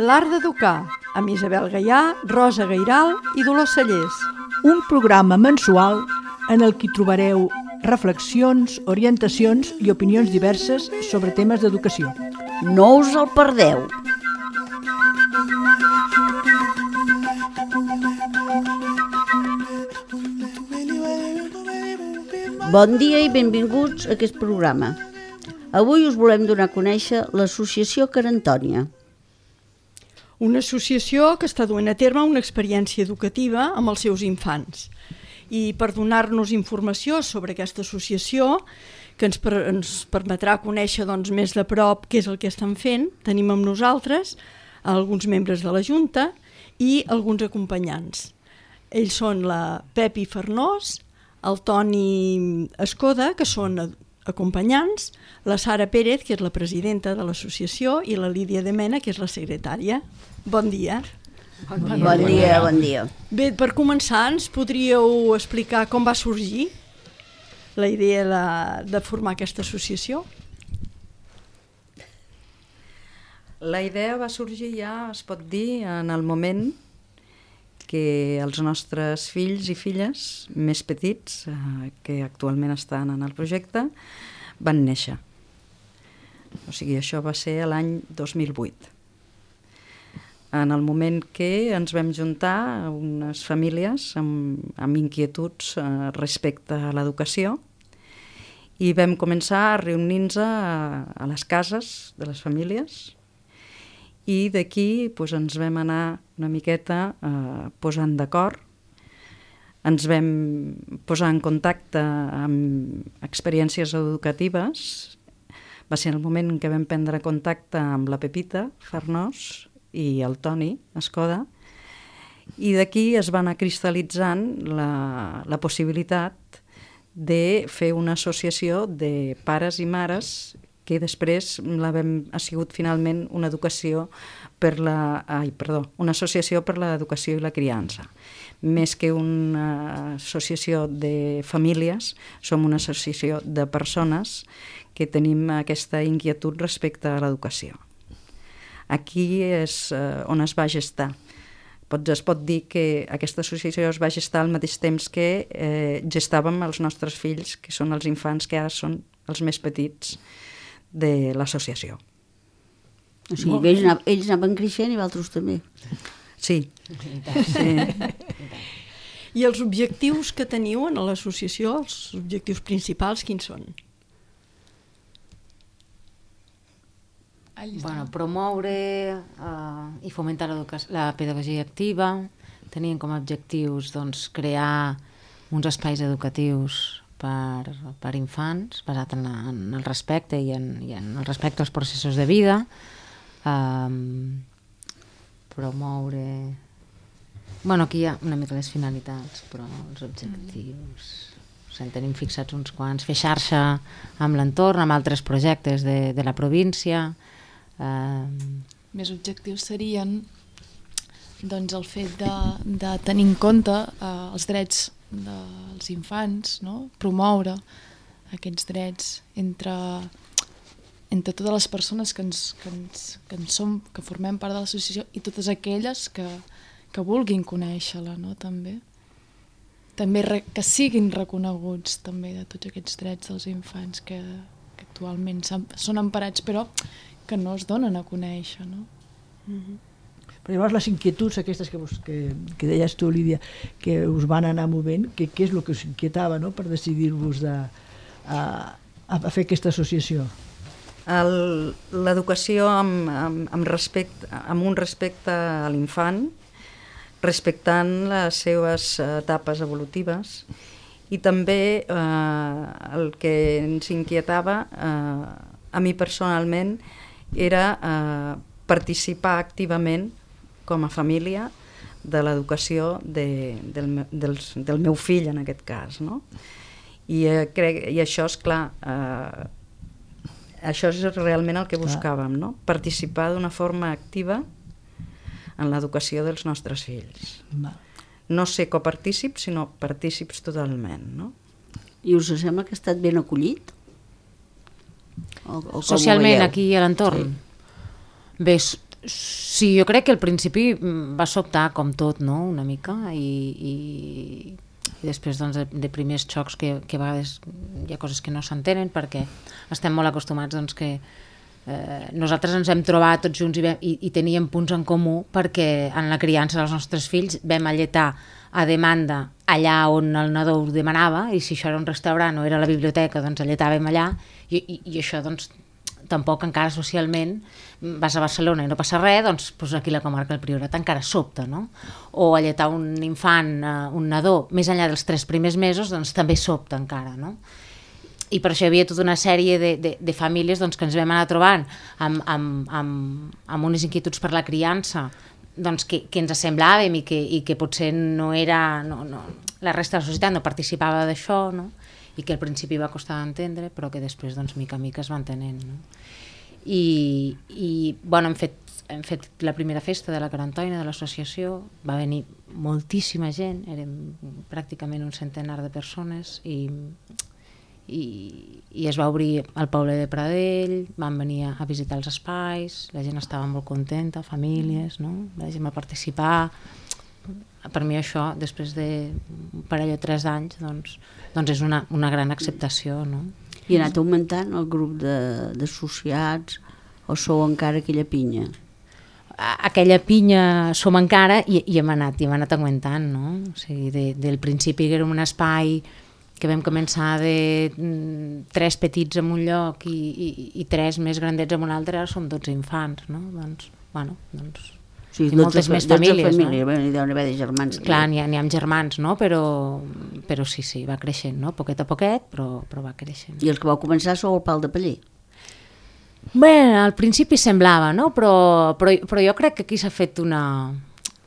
L'art d'educar, amb Isabel Gaià, Rosa Gairal i Dolors Cellers. Un programa mensual en el que hi trobareu reflexions, orientacions i opinions diverses sobre temes d'educació. No us el perdeu! Bon dia i benvinguts a aquest programa. Avui us volem donar a conèixer l'Associació Cara Antònia. Una associació que està duent a terme una experiència educativa amb els seus infants. I per donar-nos informació sobre aquesta associació, que ens permetrà conèixer més de prop què és el que estan fent, tenim amb nosaltres alguns membres de la Junta i alguns acompanyants. Ells són la Pepi Farnós, el Toni Escoda, que són acompanyants, la Sara Pérez, que és la presidenta de l'associació, i la Lídia de Mena, que és la secretària. Bon dia. Bon dia. Bé, per començar, ens podríeu explicar com va sorgir la idea de formar aquesta associació? La idea va sorgir ja, es pot dir, en el moment que els nostres fills i filles més petits, que actualment estan en el projecte, van néixer. O sigui, això va ser l'any 2008. En el moment que ens vam juntar unes famílies amb inquietuds respecte a l'educació i vam començar a reunir-nos a les cases de les famílies i d'aquí ens vam anar una miqueta posant d'acord, ens vam posar en contacte amb experiències educatives. Va ser el moment en què vam prendre contacte amb la Pepita Farnós i el Toni Escoda, i d'aquí es va anar cristal·litzant la possibilitat de fer una associació de pares i mares que després ha sigut finalment una associació per l'educació i la criança. Més que una associació de famílies, som una associació de persones que tenim aquesta inquietud respecte a l'educació. Aquí és on es va gestar. Es pot dir que aquesta associació es va gestar al mateix temps que gestàvem els nostres fills, que són els infants que ara són els més petits de l'associació. O sigui, ells anaven creixent i vosaltres també. Sí. I els objectius que teniu en l'associació, els objectius principals, quins són? Promoure i fomentar la pedagogia activa. Tenien com a objectius crear uns espais educatius per infants, basat en el respecte i en el respecte als processos de vida, promoure... Aquí hi ha una mica les finalitats, però els objectius... Tenim fixats uns quants, fer xarxa amb l'entorn, amb altres projectes de la província. Més objectius serien el fet de tenir en compte els drets dels infants, promoure aquests drets entre totes les persones que formem part de l'associació i totes aquelles que vulguin conèixer-la, també. També que siguin reconeguts també de tots aquests drets dels infants que actualment són emparats però que no es donen a conèixer. Però llavors les inquietuds aquestes que deies tu, Lídia, que us van anar movent, què és el que us inquietava per decidir-vos a fer aquesta associació? L'educació amb un respecte a l'infant, respectant les seves etapes evolutives, i també el que ens inquietava a mi personalment era participar activament com a família de l'educació del meu fill en aquest cas, i això és clar, això és realment el que buscàvem, participar d'una forma activa en l'educació dels nostres fills. No ser copartícips, sinó partícips totalment. I us sembla que ha estat ben acollit? O com Socialment, ho veieu? aquí a l'entorn? Bé, sí, jo crec que al principi va sobtar com tot, no?, una mica, i després doncs, de primers xocs que a vegades hi ha coses que no s'entenen perquè estem molt acostumats doncs, que nosaltres ens hem trobat tots junts i teníem punts en comú perquè en la criança dels nostres fills vam alletar a demanda allà on el nadó ho demanava, i si això era un restaurant o era la biblioteca, doncs alletàvem allà, i això doncs tampoc encara socialment, vas a Barcelona i no passa res, doncs aquí la comarca del Priorat encara sobta, no? O alletar un infant, un nadó, més enllà dels 3 primers mesos, doncs també sobta encara, no? I per això hi havia tota una sèrie de famílies doncs, que ens vam anar trobant amb unes inquietuds per la criança doncs, que ens assemblàvem i que potser no era... la resta de la societat no participava d'això, no? I que al principi va costar d'entendre, però que després, doncs, mica en mica es va entenent, no? I bueno, hem fet la primera festa de la Carantoina, de l'associació, va venir moltíssima gent, érem pràcticament un centenar de persones, i es va obrir el poble de Pradell, van venir a visitar els espais, la gent estava molt contenta, famílies, no? La gent va participar. Per mi això, després d'un parell o 3 anys, doncs és una gran acceptació, no? I ha anat augmentant el grup d'associats, o sou encara aquella pinya? Aquella pinya som encara i hem anat augmentant, no? O sigui, del principi que érem un espai que vam començar de 3 petits en un lloc i 3 més grandets en un altre, ara som 12 infants, no? Doncs, bueno, doncs... Sí, i moltes més famílies, no? Hi deuen haver de germans. Clar, n'hi ha germans, no? Però sí, va creixent, no? Poquet a poquet, però va creixent. I els que vau començar sou el pal de paller? Bé, al principi semblava, no? Però jo crec que aquí s'ha fet una...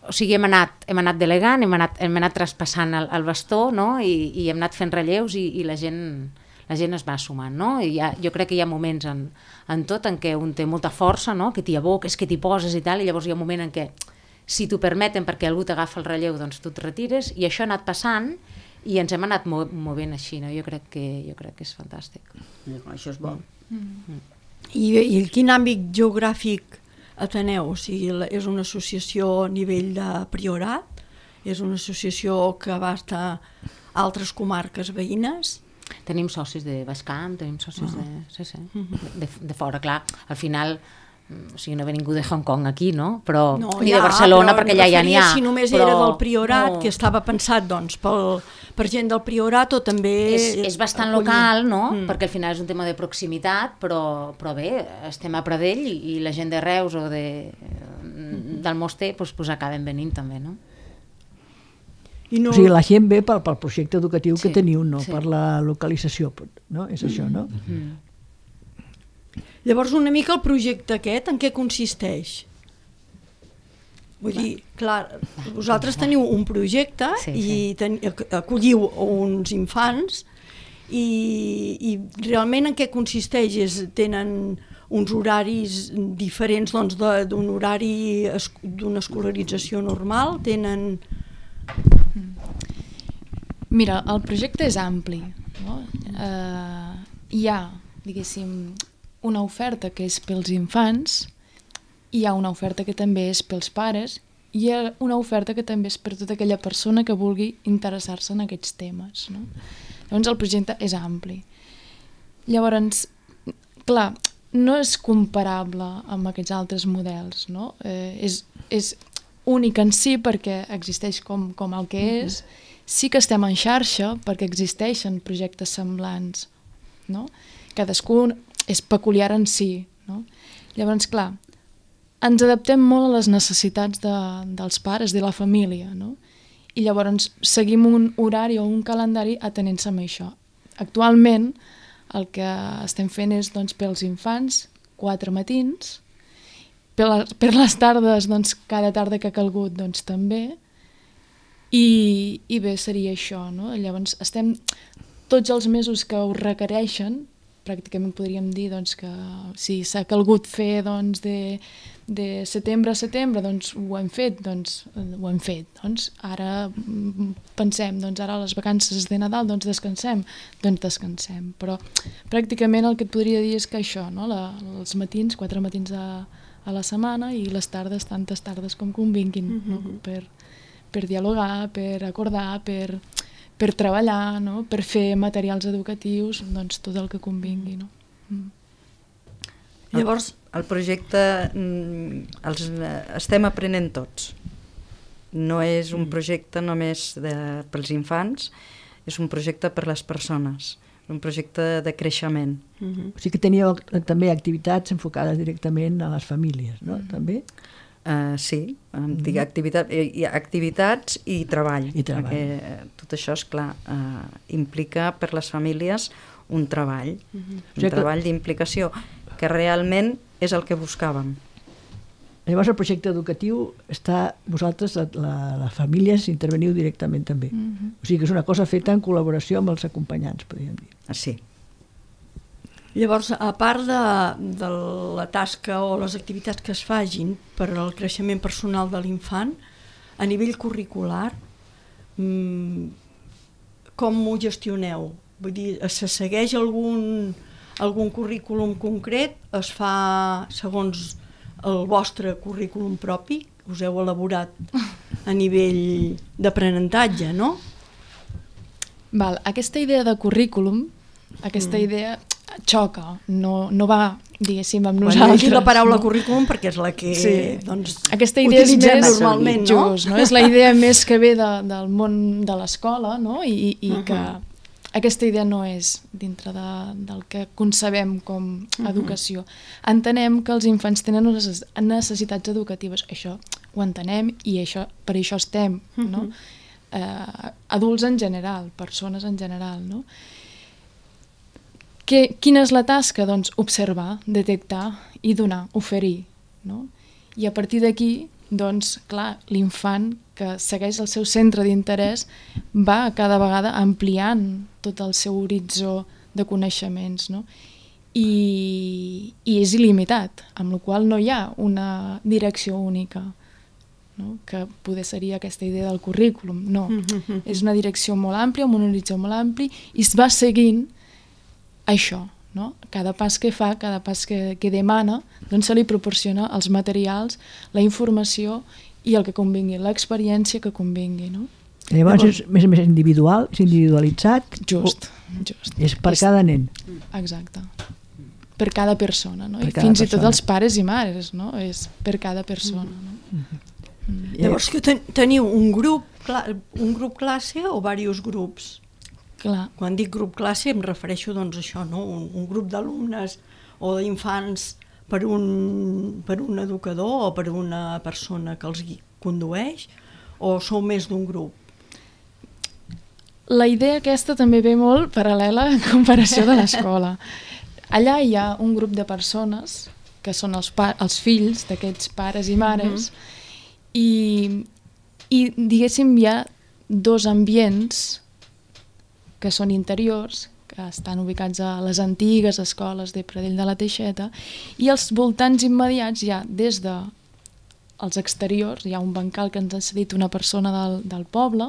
O sigui, hem anat delegant, hem anat traspassant el bastó, no? I hem anat fent relleus i la gent es va sumant, no? I jo crec que hi ha moments en tot en què un té molta força, no? Que t'hi aboques, que t'hi poses i tal, i llavors hi ha un moment en què, si t'ho permeten perquè algú t'agafa el relleu, doncs tu et retires, i això ha anat passant i ens hem anat movent així, no? Jo crec que és fantàstic. Això és bo. I quin àmbit geogràfic ateneu? O sigui, és una associació a nivell de Priorat? És una associació que abasta altres comarques veïnes? Tenim socis de Baix Camp, tenim socis de fora, clar, al final, o sigui, no ve ningú de Hong Kong aquí, no? Però ni de Barcelona, perquè allà n'hi ha. Si només era del Priorat, que estava pensat doncs, per gent del Priorat, o també... És bastant local, no? Perquè al final és un tema de proximitat, però bé, estem a Pradell i la gent de Reus o del Moster doncs acaben venint també, no? O sigui, la gent ve pel projecte educatiu que teniu, no per la localització, no? És això, no? Llavors, una mica el projecte aquest, en què consisteix? Vull dir, clar, vosaltres teniu un projecte i acolliu uns infants i realment en què consisteix? Tenen uns horaris diferents doncs, d'un horari d'una escolarització normal? Tenen... Mira, el projecte és ampli, no? Hi ha, diguéssim, una oferta que és pels infants, hi ha una oferta que també és pels pares, i hi ha una oferta que també és per tota aquella persona que vulgui interessar-se en aquests temes, no? Llavors el projecte és ampli. Llavors, clar, no és comparable amb aquests altres models, no? És únic en si perquè existeix com el que és. Sí que estem en xarxa perquè existeixen projectes semblants, no? Cadascú és peculiar en si, no? Llavors, clar, ens adaptem molt a les necessitats dels pares, de la família, no? I llavors seguim un horari o un calendari atenent-se a això. Actualment el que estem fent és doncs, pels infants 4 matins, per les tardes doncs, cada tarda que ha calgut doncs, també, i bé, seria això, no? Llavors estem tots els mesos que ho requereixen, pràcticament podríem dir doncs, que si s'ha calgut fer doncs, de setembre a setembre, doncs ho hem fet. Doncs ara pensem, doncs ara les vacances de Nadal doncs descansem. Però pràcticament el que et podria dir és que això, no? Els matins, 4 matins a la setmana i les tardes, tantes tardes com convinguin, no? Per dialogar, per acordar, per treballar, no? Per fer materials educatius, doncs tot el que convingui. No? Llavors, el projecte estem aprenent tots. No és un projecte només pels infants, és un projecte per les persones, un projecte de creixement. O sigui que teníeu també activitats enfocades directament a les famílies, no? També? Sí, activitats i treball. Perquè tot això, és clar, implica per les famílies un treball, un treball d'implicació, que realment és el que buscàvem. Llavors el projecte educatiu està, vosaltres, les famílies, interveniu directament també. O sigui que és una cosa feta en col·laboració amb els acompanyants, podríem dir. Sí. Llavors, a part de la tasca o les activitats que es fagin per al creixement personal de l'infant, a nivell curricular, com ho gestioneu? Vull dir, se segueix algun currículum concret? Es fa segons el vostre currículum propi? Us heu elaborat a nivell d'aprenentatge, no? Aquesta idea de currículum, aquesta idea xoca, no va, diguéssim, amb nosaltres. Aquí la paraula currículum perquè és la que aquesta idea és més normalment, no? Just, no? És la idea més que ve del món de l'escola, no? I que aquesta idea no és dintre del que concebem com educació. Entenem que els infants tenen unes necessitats educatives, això ho entenem i per això estem, no? Adults en general, persones en general, no? Quina és la tasca? Doncs observar, detectar i donar, oferir, no? I a partir d'aquí, doncs, clar, l'infant que segueix el seu centre d'interès va cada vegada ampliant tot el seu horitzó de coneixements, no? I és il·limitat, amb la qual no hi ha una direcció única, no? Que poder seria aquesta idea del currículum. No, és una direcció molt àmplia, amb un horitzó molt ampli, i es va seguint això, no? Cada pas que fa, cada pas que demana, doncs se li proporciona els materials, la informació i el que convingui, l'experiència que convingui, no? Llavors és més individual, és individualitzat? Just. És per cada nen? Exacte. Per cada persona, no? I fins i tot els pares i mares, no? És per cada persona, no? Llavors que teniu un grup classe o diversos grups? Clar. Quan dic grup classe em refereixo doncs a això, no? Un grup d'alumnes o d'infants per un educador o per una persona que els condueix, o sou més d'un grup? La idea aquesta també ve molt paral·lela en comparació de l'escola. Allà hi ha un grup de persones que són els fills d'aquests pares i mares i diguéssim hi ha dos ambients que són interiors, que estan ubicats a les antigues escoles de Pradell de la Teixeta, i als voltants immediats hi ha des dels exteriors, hi ha un bancal que ens ha cedit una persona del poble,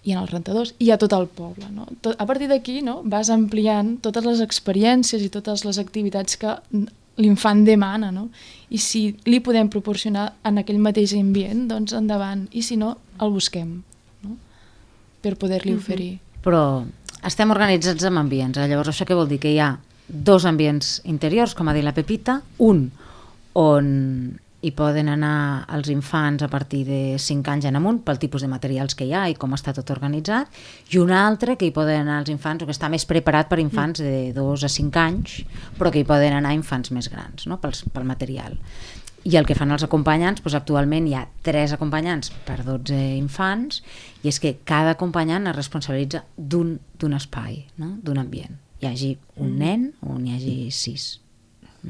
i en els rentadors hi ha tot el poble, no? A partir d'aquí, no, vas ampliant totes les experiències i totes les activitats que l'infant demana, no? I si li podem proporcionar en aquell mateix ambient, doncs endavant, i si no, el busquem, no? Per poder-li oferir. Però estem organitzats en ambients, llavors això què vol dir? Que hi ha dos ambients interiors, com ha dit la Pepita, un on hi poden anar els infants a partir de 5 anys en amunt pel tipus de materials que hi ha i com està tot organitzat, i un altre que hi poden anar els infants, o que està més preparat per infants de 2 a 5 anys, però que hi poden anar infants més grans, no? Pel material. I el que fan els acompanyants, doncs actualment hi ha 3 acompanyants per 12 infants, i és que cada acompanyant es responsabilitza d'un espai, no? D'un ambient. Hi hagi un nen o n'hi hagi 6.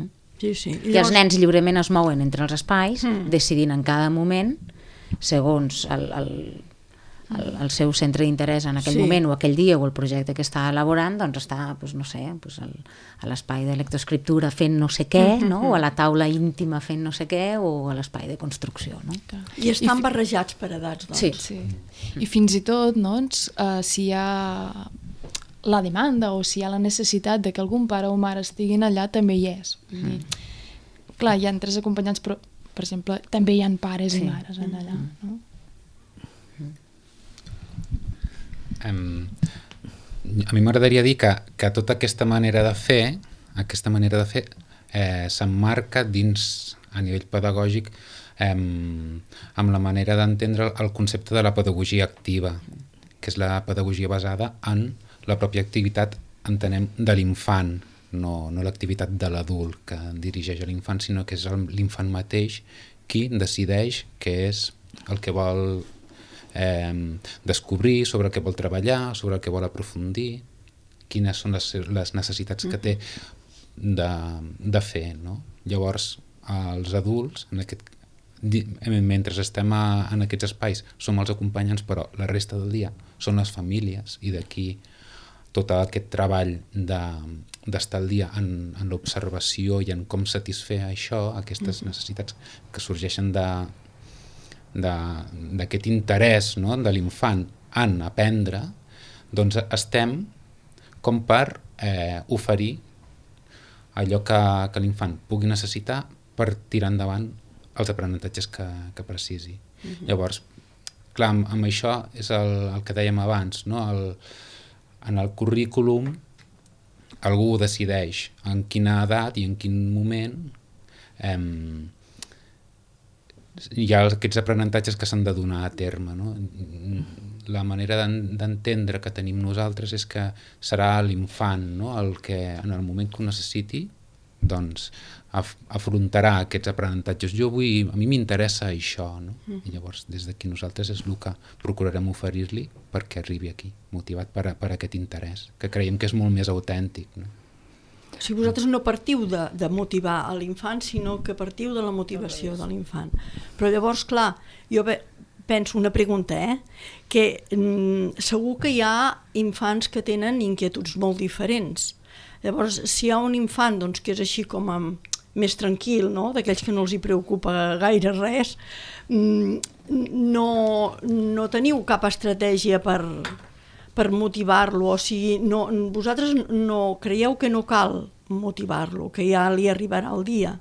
No? Sí. I els nens lliurement es mouen entre els espais, decidint en cada moment, segons el seu centre d'interès en aquell moment o aquell dia o el projecte que està elaborant, doncs està, no sé, a l'espai de lectoescriptura fent no sé què, no? O a la taula íntima fent no sé què, o a l'espai de construcció, no? I estan barrejats per edats, doncs. Sí. I fins i tot, doncs, si hi ha la demanda o si hi ha la necessitat de que algun pare o mare estiguin allà, també hi és. Clar, hi ha 3 acompanyants, però, per exemple, també hi ha pares i mares allà, no? A mi m'agradaria dir que tota aquesta manera de fer s'emmarca dins, a nivell pedagògic, amb la manera d'entendre el concepte de la pedagogia activa, que és la pedagogia basada en la pròpia activitat, entenem, de l'infant, no l'activitat de l'adult que dirigeix a l'infant, sinó que és l'infant mateix qui decideix què és el que vol descobrir, sobre el que vol treballar, sobre el que vol aprofundir, quines són les necessitats que té de fer, no? Llavors, els adults, mentre estem en aquests espais, som els acompanyants, però la resta del dia són les famílies, i d'aquí tot aquest treball d'estar al dia en l'observació i en com satisfer això, aquestes necessitats que sorgeixen d'aquest interès, no?, de l'infant en aprendre, doncs estem com per oferir allò que l'infant pugui necessitar per tirar endavant els aprenentatges que precisi. Llavors, clar, amb això és el que dèiem abans, no? En el currículum algú decideix en quina edat i en quin moment hi ha aquests aprenentatges que s'han de donar a terme, no? La manera d'entendre que tenim nosaltres és que serà l'infant, no?, el que en el moment que ho necessiti doncs afrontarà aquests aprenentatges. A mi m'interessa això, no? I llavors des d'aquí nosaltres és el que procurarem oferir-li perquè arribi aquí, motivat per aquest interès, que creiem que és molt més autèntic, no? O sigui, vosaltres no partiu de motivar a l'infant, sinó que partiu de la motivació de l'infant. Però llavors, clar, jo penso una pregunta, que segur que hi ha infants que tenen inquietuds molt diferents. Llavors, si hi ha un infant doncs, que és així com més tranquil, no?, d'aquells que no els hi preocupa gaire res, no teniu cap estratègia per motivar-lo, o sigui, vosaltres no creieu que no cal motivar-lo, que ja li arribarà el dia?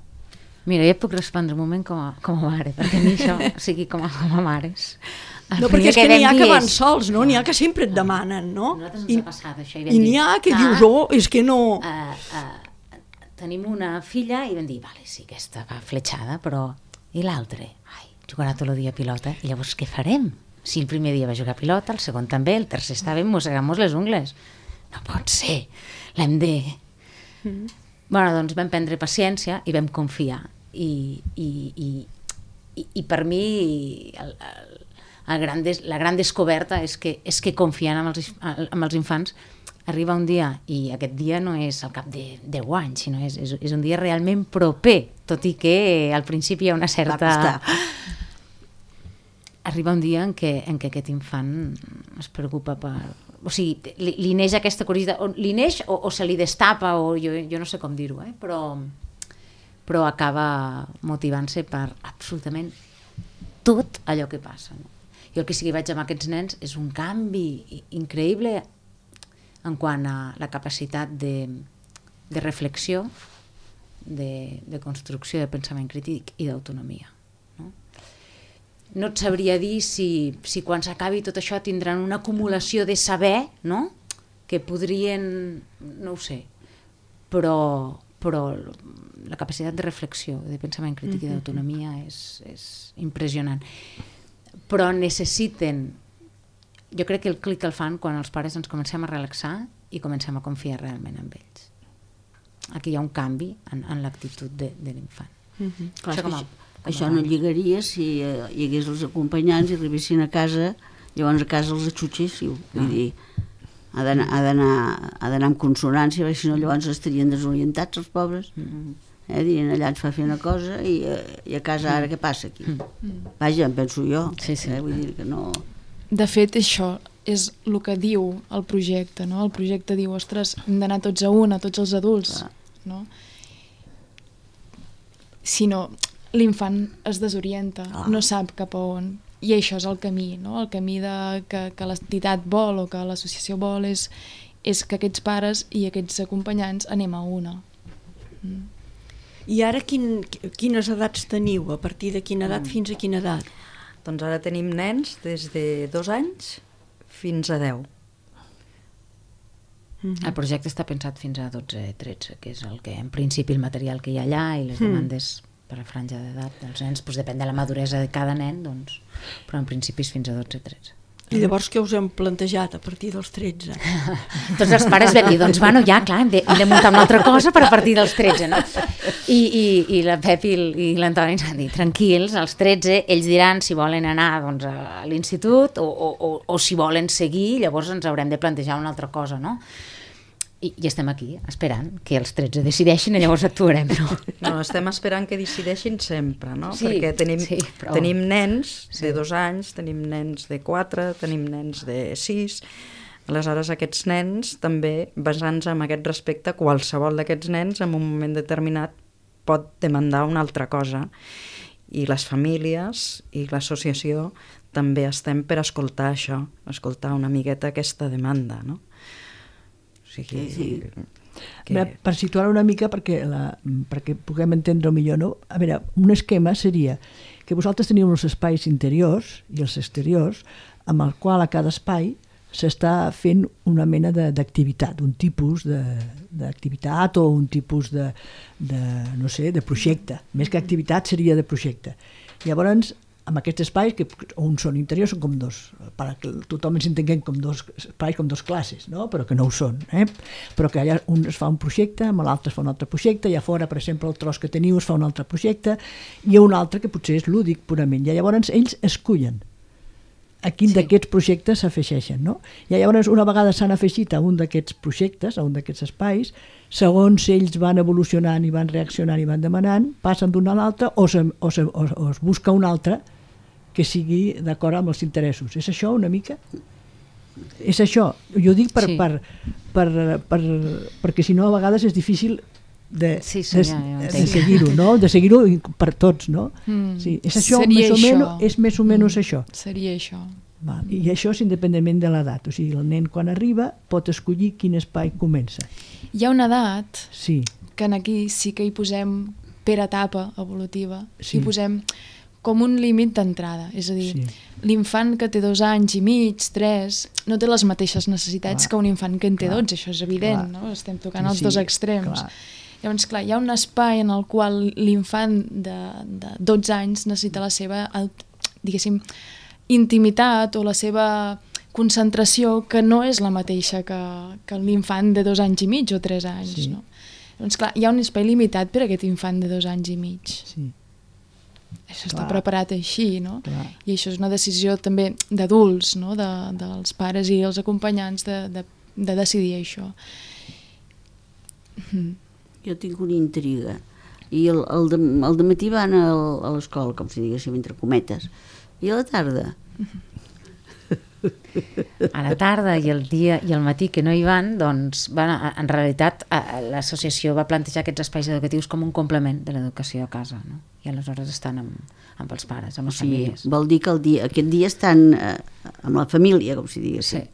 Mira, ja puc respondre un moment com a mare, perquè a mi això, o sigui, com a mares... No, perquè és que n'hi ha que van sols, no? N'hi ha que sempre et demanen, no? Nosaltres ens ha passat això. I n'hi ha que dius, és que no... Tenim una filla i vam dir, vale, sí, aquesta va fletxada, però... I l'altre? Ai, jugarà tot el dia a pilota, i llavors què farem? Si el primer dia va jugar a pilota, el segon també, el tercer estava mossegant-nos les ungles. No pot ser, l'hem de... Bueno, doncs vam prendre paciència i vam confiar. I per mi la gran descoberta és que confiant en els infants arriba un dia, i aquest dia no és al cap de 10 anys, sinó és un dia realment proper, tot i que al principi hi ha una certa... Arriba un dia en què aquest infant es preocupa per... O sigui, li neix aquesta curiositat, li neix o se li destapa, o jo no sé com dir-ho, però acaba motivant-se per absolutament tot allò que passa. No? Jo el que sí que vaig amb aquests nens és un canvi increïble en quant a la capacitat de reflexió, de construcció, de pensament crític i d'autonomia. No et sabria dir si quan s'acabi tot això tindran una acumulació de saber, no?, que podrien, no ho sé, però la capacitat de reflexió, de pensament crític i d'autonomia és impressionant. Però necessiten, jo crec que el clic el fan quan els pares ens comencem a relaxar i comencem a confiar realment en ells. Aquí hi ha un canvi en l'actitud de l'infant. Això no lligaria si hi hagués els acompanyants i arribessin a casa, llavors a casa els atxutxéssiu. Vull dir, ha d'anar amb consonància, perquè si no llavors estarien desorientats els pobres. Dient, allà ens fa fer una cosa i a casa ara què passa aquí? Vaja, em penso jo. Vull dir que no... De fet, això és el que diu el projecte, no? El projecte diu, ostres, hem d'anar tots a una, tots els adults, no? Si no, l'infant es desorienta, no sap cap a on, i això és el camí, no? El camí que l'entitat vol o que l'associació vol és que aquests pares i aquests acompanyants anem a una. I ara quines edats teniu? A partir de quina edat fins a quina edat? Doncs ara tenim nens des de 2 anys fins a 10. El projecte està pensat fins a 12-13, que és el que, en principi, el material que hi ha allà i les demandes per a franja d'edat dels nens, doncs depèn de la maduresa de cada nen, doncs, però en principi és fins a 12-13. I llavors què us hem plantejat a partir dels 13? Tots els pares vam dir, doncs bueno, ja, clar, hem de muntar una altra cosa per a partir dels 13, no? I la Pep i l'Antoni ens han dit, tranquils, als 13 ells diran si volen anar doncs, a l'institut o si volen seguir, llavors ens haurem de plantejar una altra cosa, no? I estem aquí, esperant que els 13 decideixin i llavors actuarem, no? No, estem esperant que decideixin sempre, no? Sí, perquè però... tenim nens de 2 anys, tenim nens de 4, tenim nens de 6. Aleshores, aquests nens, també, basant-se en aquest respecte, qualsevol d'aquests nens, en un moment determinat, pot demandar una altra cosa. I les famílies i l'associació també estem per escoltar això, escoltar una miqueta aquesta demanda, no? Per situar una mica perquè puguem entendre millor, no? A veure, un esquema seria que vosaltres teniu els espais interiors i els exteriors amb el qual a cada espai s'està fent una mena d'activitat, un tipus d'activitat o un tipus de projecte. Més que activitat seria de projecte. Llavors, amb aquests espais, que uns són interiors, són com dos, perquè tothom ens entenguem com dos espais, com dos classes, no? Però que no ho són. Però que allà un es fa un projecte, amb l'altre es fa un altre projecte, i a fora, per exemple, el tros que teniu es fa un altre projecte, i hi ha un altre que potser és lúdic purament. I llavors ells escullen a quin d'aquests projectes s'afegeixen, no? I llavors una vegada s'han afegit a un d'aquests projectes, a un d'aquests espais, segons ells van evolucionant i van reaccionant i van demanant, passen d'un a l'altre o es busca un altre que sigui d'acord amb els interessos. És això una mica? És això. Jo dic perquè si no a vegades és difícil de seguir-ho, no? De seguir-ho per tots, no? Sí, és això, és més o menys això. Seria això. I això és independentment de l'edat. O sigui, el nen quan arriba pot escollir quin espai comença. Hi ha una edat que aquí sí que hi posem per etapa evolutiva, hi posem com un límit d'entrada, és a dir, l'infant que té 2 anys i mig, 3, no té les mateixes necessitats que un infant que en té 12, això és evident, no? Estem tocant els dos extrems. Llavors, clar, hi ha un espai en el qual l'infant de 12 anys necessita la seva, diguéssim, intimitat o la seva concentració que no és la mateixa que l'infant de 2 anys i mig o 3 anys, no? Llavors, clar, hi ha un espai limitat per a aquest infant de 2 anys i mig. Sí. Això està preparat així, no? I això és una decisió també d'adults, no? Dels pares i els acompanyants de decidir això. Jo tinc una intriga. I el dematí van a l'escola, com si diguéssim, entre cometes. I a la tarda? A la tarda i el dia i el matí que no hi van, doncs, en realitat l'associació va plantejar aquests espais educatius com un complement de l'educació a casa, no? I aleshores estan amb els pares, amb les famílies. Vol dir que aquest dia estan amb la família, com si diguéssim.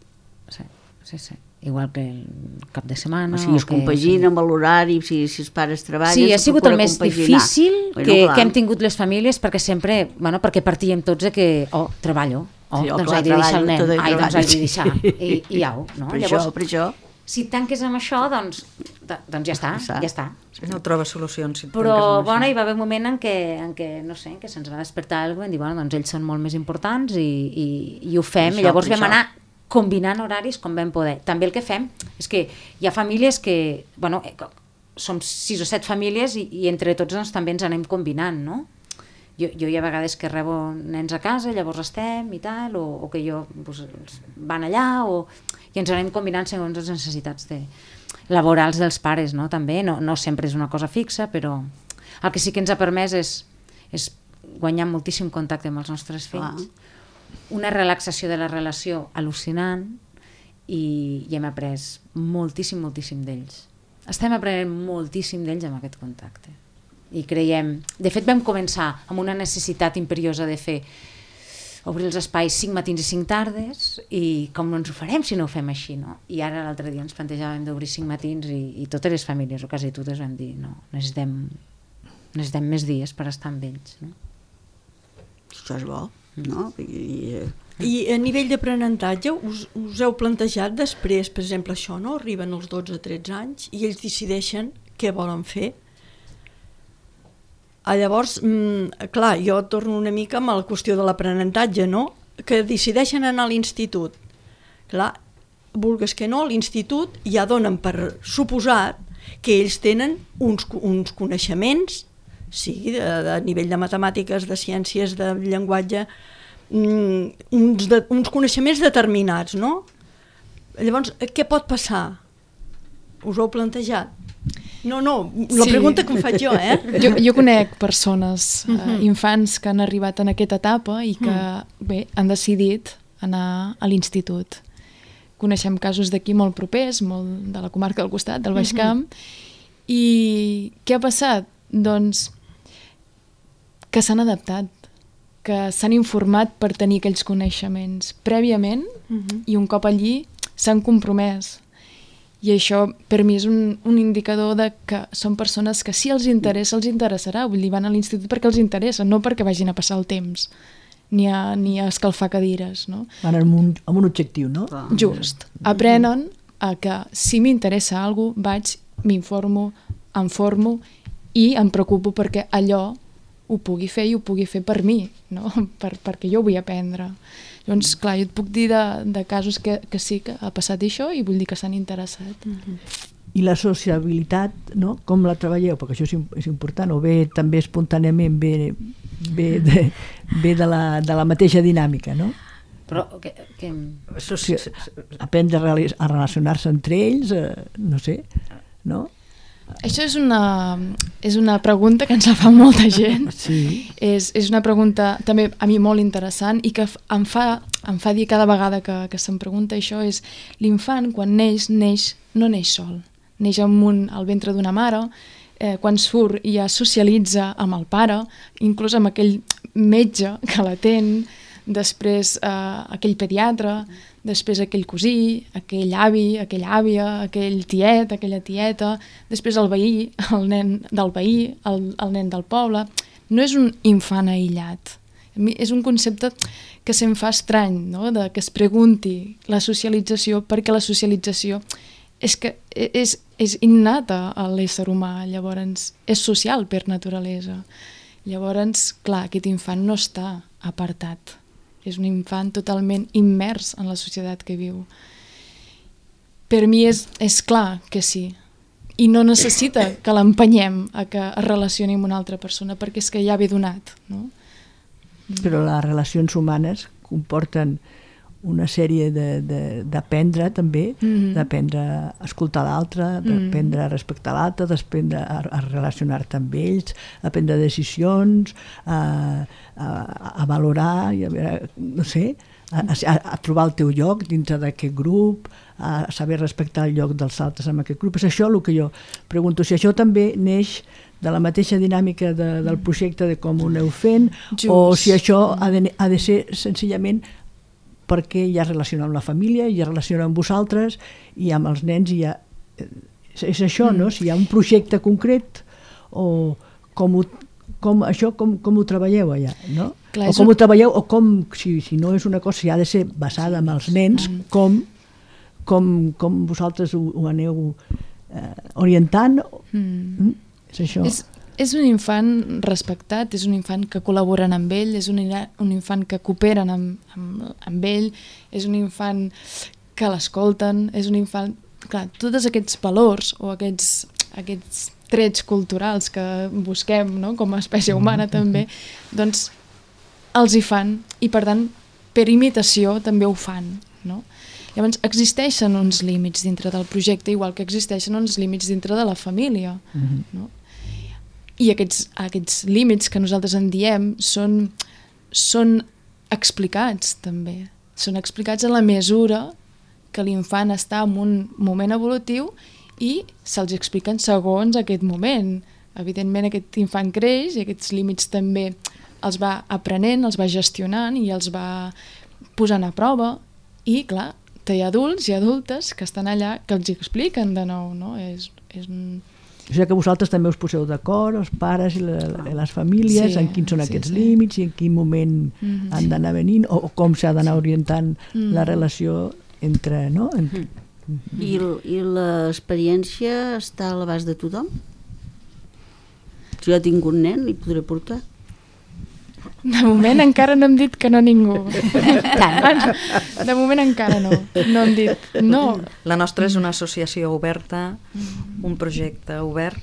Sí. Igual que el cap de setmana. O sigui, es compagina amb l'horari, si els pares treballen... Sí, ha sigut el més difícil que hem tingut les famílies, perquè sempre, perquè partíem tots de que, treballo, doncs haig de deixar el nen, doncs haig de deixar, i au, no? Per això. Si tanques amb això, doncs ja està. No trobes solucions. Però, hi va haver un moment en què no sé, que se'ns va despertar alguna cosa i vam dir, doncs ells són molt més importants i ho fem, i llavors vam anar combinant horaris com vam poder. També el que fem és que hi ha famílies que, som 6 o 7 famílies i entre tots doncs, també ens anem combinant, no? Jo hi ha vegades que rebo nens a casa, llavors estem i tal, o que van allà, i ens anem combinant segons les necessitats laborals dels pares, no? També, no sempre és una cosa fixa, però el que sí que ens ha permès és guanyar moltíssim contacte amb els nostres fills. una relaxació de la relació al·lucinant i hem après moltíssim d'ells. Estem aprenent moltíssim d'ells amb aquest contacte. I creiem... De fet, vam començar amb una necessitat imperiosa de fer obrir els espais 5 matins i 5 tardes i com no ens ho farem si no ho fem així, no? I ara l'altre dia ens plantejàvem d'obrir 5 matins i totes les famílies, o quasi totes, vam dir no, necessitem més dies per estar amb ells, no? Això és bo, no? I a nivell d'aprenentatge us heu plantejat després, per exemple, això, no? Arriben els 12-13 anys i ells decideixen què volen fer. Llavors, clar, jo torno una mica amb la qüestió de l'aprenentatge, no? Que decideixen anar a l'institut. Clar, vulgues que no, a l'institut ja donen per suposat que ells tenen uns coneixements, sigui a nivell de matemàtiques, de ciències, de llenguatge, uns coneixements determinats, no? Llavors, què pot passar? Us ho heu plantejat? No, la pregunta que em faig jo, Jo conec persones, infants que han arribat en aquesta etapa i que, bé, han decidit anar a l'institut. Coneixem casos d'aquí molt propers, molt de la comarca del costat, del Baix Camp, i què ha passat? Doncs que s'han adaptat, que s'han informat per tenir aquells coneixements prèviament i un cop allí s'han compromès. I això per mi és un indicador de que són persones que si els interessa, els interessarà. Vull dir, van a l'institut perquè els interessa, no perquè vagin a passar el temps, ni a escalfar cadires, no? Van amb un objectiu, no? Just. Aprenen a que si m'interessa alguna cosa, vaig, m'informo, em formo i em preocupo perquè allò ho pugui fer i ho pugui fer per mi, no? Perquè jo vull aprendre. Llavors, clar, jo et puc dir de casos que sí que ha passat això i vull dir que s'han interessat. I la sociabilitat, no? Com la treballeu? Perquè això és important, o bé també espontàniament ve de la mateixa dinàmica, no? Però aprendre a relacionar-se entre ells, no sé, no? Això és una pregunta que ens la fa molta gent. Sí. És una pregunta també a mi molt interessant i que em fa dir cada vegada que se'm pregunta això és l'infant quan neix no neix sol, neix al ventre d'una mare, quan surt ja socialitza amb el pare, inclús amb aquell metge que l'atén, després aquell pediatre, després aquell cosí, aquell avi, aquella àvia, aquell tiet, aquella tieta, després el veí, el nen del veí, el nen del poble. No és un infant aïllat. És un concepte que se'm fa estrany, no? Que es pregunti la socialització, perquè la socialització és innata a l'ésser humà, llavors és social per naturalesa. Llavors, clar, aquest infant no està apartat. És un infant totalment immers en la societat que viu. Per mi és clar que sí. I no necessita que l'empenyem a que es relacioni amb una altra persona, perquè és que ja ve donat, no? Però les relacions humanes comporten una sèrie d'aprendre també, d'aprendre a escoltar l'altre, d'aprendre a respectar l'altre, d'aprendre a relacionar-te amb ells, a prendre decisions, a valorar, no sé, a trobar el teu lloc dintre d'aquest grup, a saber respectar el lloc dels altres en aquest grup. És això el que jo pregunto, si això també neix de la mateixa dinàmica del projecte de com ho aneu fent, o si això ha de ser senzillament perquè ja es relaciona amb la família, ja es relaciona amb vosaltres i amb els nens i ja... És això, no? Si hi ha un projecte concret o com ho treballeu allà, no? Clar, o com ho treballeu, o com, si no és una cosa, si ha de ser basada en els nens, com vosaltres ho aneu orientant, és això. És un infant respectat, és un infant que col·laboren amb ell, és un infant que cooperen amb ell, és un infant que l'escolten, és un infant... Clar, tots aquests valors o aquests trets culturals que busquem, no?, com a espècie humana també, doncs els hi fan i per tant per imitació també ho fan, no? Llavors existeixen uns límits dintre del projecte igual que existeixen uns límits dintre de la família, no? I aquests límits que nosaltres en diem són explicats també. Són explicats en la mesura que l'infant està en un moment evolutiu i se'ls expliquen segons aquest moment. Evidentment aquest infant creix i aquests límits també els va aprenent, els va gestionant i els va posant a prova i clar, té adults i adultes que estan allà que els expliquen de nou, no? O sigui que vosaltres també us poseu d'acord, els pares i les famílies, en quins són aquests límits i en quin moment han d'anar venint o com s'ha d'anar orientant la relació entre... No? I l'experiència està a l'abast de tothom? Si jo tinc un nen, li podré portar? De moment encara no hem dit que no ningú. De moment encara no. No hem dit no. La nostra és una associació oberta, un projecte obert,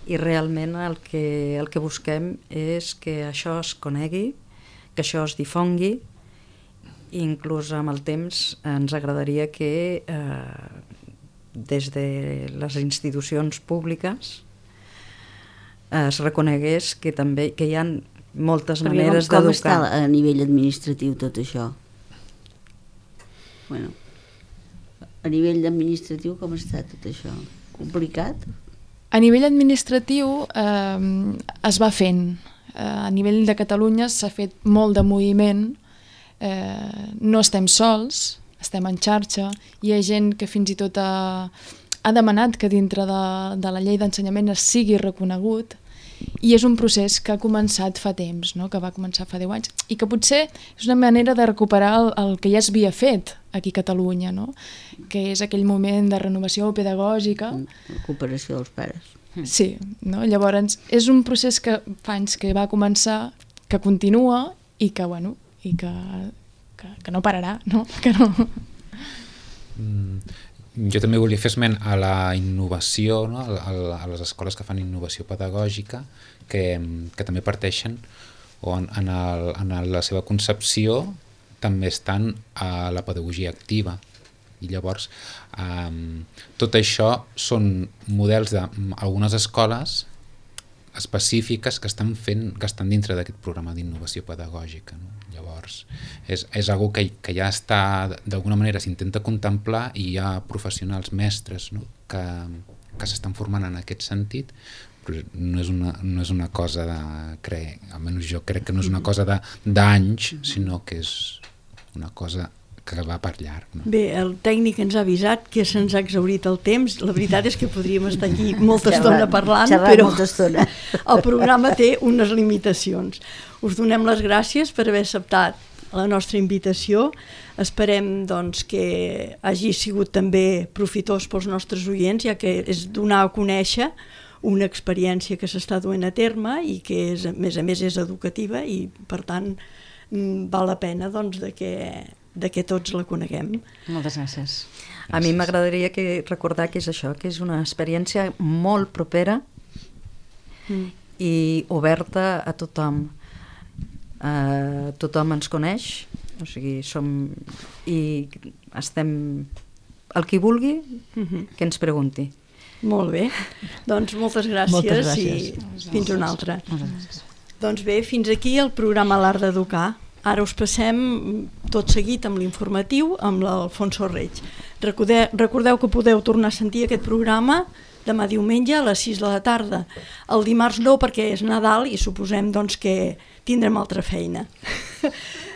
i realment el que busquem és que això es conegui, que això es difongui, i inclús amb el temps ens agradaria que des de les institucions públiques es reconegués que també que hi ha moltes maneres d'educar. Com està a nivell administratiu tot això? Bueno, a nivell administratiu com està tot això? Complicat? A nivell administratiu es va fent. A nivell de Catalunya s'ha fet molt de moviment. No estem sols, estem en xarxa. Hi ha gent que fins i tot ha demanat que dintre de la llei d'ensenyament es sigui reconegut. I és un procés que ha començat fa temps, no? Que va començar fa 10 anys, i que potser és una manera de recuperar el que ja es havia fet aquí a Catalunya, no? Que és aquell moment de renovació pedagògica. Recuperació dels pares. Sí, no? Llavors és un procés que fa anys que va començar, que continua i que, bueno, i que no pararà, no? Que no... Jo també volia fer esment a la innovació, no? A les escoles que fan innovació pedagògica, que també parteixen o en la seva concepció també estan a la pedagogia activa. I llavors tot això són models d'algunes escoles específiques que estan dintre d'aquest programa d'innovació pedagògica, no? Llavors és algo que ja està, d'alguna manera s'intenta contemplar, i hi ha professionals mestres, no? que s'estan formant en aquest sentit, però no és una cosa almenys jo crec que no és una cosa d'anys, sinó que és una cosa que va per llarg. No? Bé, el tècnic ens ha avisat que se'ns ha exhaurit el temps. La veritat és que podríem estar aquí molta estona parlant, però el programa té unes limitacions. Us donem les gràcies per haver acceptat la nostra invitació. Esperem doncs, que hagi sigut també profitós pels nostres oients, ja que és donar a conèixer una experiència que s'està duent a terme i que a més és educativa, i per tant val la pena doncs, de que tots la coneguem. Moltes gràcies. A mi m'agradaria recordar que és això, que és una experiència molt propera i oberta a tothom. Tothom ens coneix, o sigui, estem... El qui vulgui, que ens pregunti. Molt bé, doncs moltes gràcies i fins una altra. Doncs bé, fins aquí el programa L'Art d'Educar. Ara us passem tot seguit amb l'informatiu amb l'Alfonso Reig. Recordeu que podeu tornar a sentir aquest programa demà diumenge a les 6 de la tarda. El dimarts no, perquè és Nadal i suposem doncs, que tindrem altra feina.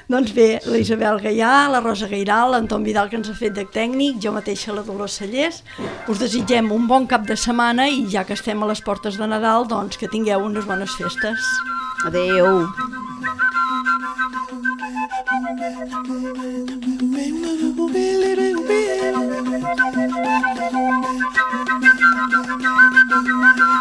Doncs bé, la Isabel Gaià, la Rosa Gairal, l'Anton Vidal, que ens ha fet de tècnic, jo mateixa, la Dolors Cellers, us desitgem un bon cap de setmana i ja que estem a les portes de Nadal, doncs que tingueu unes bones festes. Adéu. Thank you.